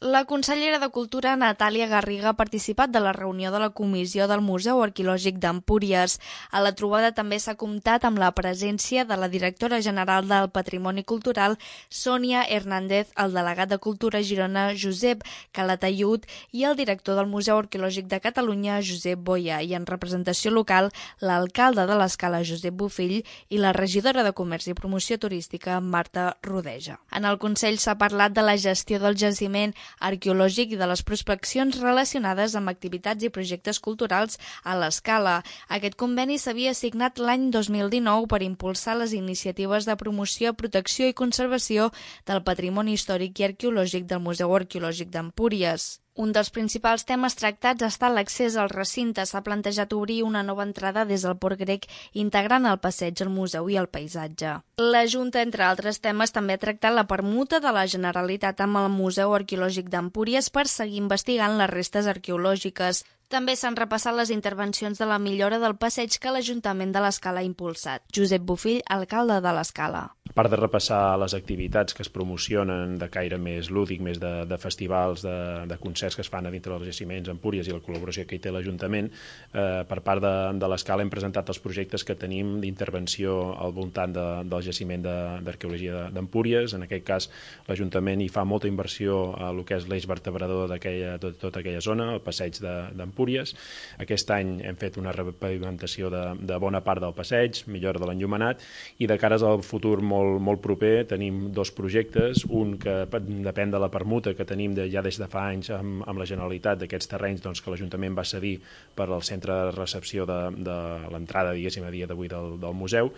La consellera de Cultura, Natàlia Garriga, ha participat de la reunió de la comissió del Museu Arqueològic d'Empúries. A la trobada també s'ha comptat amb la presència de la directora general del Patrimoni Cultural, Sònia Hernández, el delegat de Cultura a Girona, Josep Calatayud, i el director del Museu Arqueològic de Catalunya, Josep Boya, i en representació local, l'alcalde de l'Escala, Josep Bofill, i la regidora de Comerç i Promoció Turística, Marta Rodeja. En el Consell s'ha parlat de la gestió del jaciment arqueològic i de les prospeccions relacionades amb activitats i projectes culturals a l'Escala. Aquest conveni s'havia signat l'any 2019 per impulsar les iniciatives de promoció, protecció i conservació del patrimoni històric i arqueològic del Museu Arqueològic d'Empúries. Un dels principals temes tractats ha estat l'accés al recinte. S'ha plantejat obrir una nova entrada des del Port Grec, integrant el passeig, el museu i el paisatge. La Junta, entre altres temes, també ha tractat la permuta de la Generalitat amb el Museu Arqueològic d'Empúries per seguir investigant les restes arqueològiques. També s'han repassat les intervencions de la millora del passeig que l'Ajuntament de l'Escala ha impulsat. Josep Bofill, alcalde de l'Escala. A part de repassar les activitats que es promocionen de caire més lúdic, més de festivals, de concerts que es fan a dintre dels jaciments Empúries i la col·laboració que hi té l'Ajuntament, per part de l'Escala hem presentat els projectes que tenim d'intervenció al voltant del jaciment d'arqueologia d'Empúries. En aquest cas, l'Ajuntament hi fa molta inversió a el que és l'eix vertebrador de tota aquella zona, el passeig d'Empúries. Aquest any hem fet una repavimentació de bona part del passeig, millora de l'enllumenat, i de cares al futur molt proper tenim dos projectes, un que depèn de la permuta que tenim ja des de fa anys amb la Generalitat d'aquests terrenys que l'Ajuntament va cedir per al centre de recepció de l'entrada, diguéssim, a dia d'avui del museu,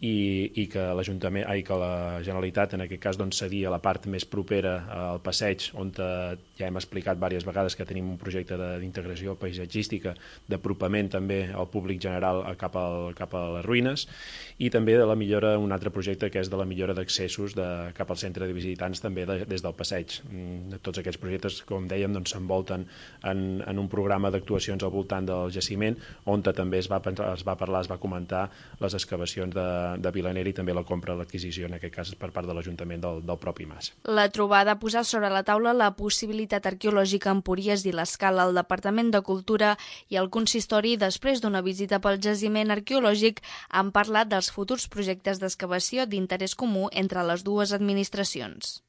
i que la Generalitat en aquest cas cedia la part més propera al passeig, on ja hem explicat diverses vegades que tenim un projecte d'integració paisatgística, d'apropament també al públic general cap a les ruïnes, i també de la millora, un altre projecte que és de la millora d'accessos cap al centre de visitants també des del passeig. Tots aquests projectes, com dèiem, s'envolten en un programa d'actuacions al voltant del jaciment, on també es va comentar les excavacions de Vilanera i també la compra, l'adquisició, en aquest cas per part de l'Ajuntament del propi mas. La trobada ha posat sobre la taula la possibilitat arqueològica a Empúries i l'Escala. El Departament de Cultura i el Consistori, després d'una visita pel jaciment arqueològic, han parlat dels futurs projectes d'excavació d'interès comú entre les dues administracions.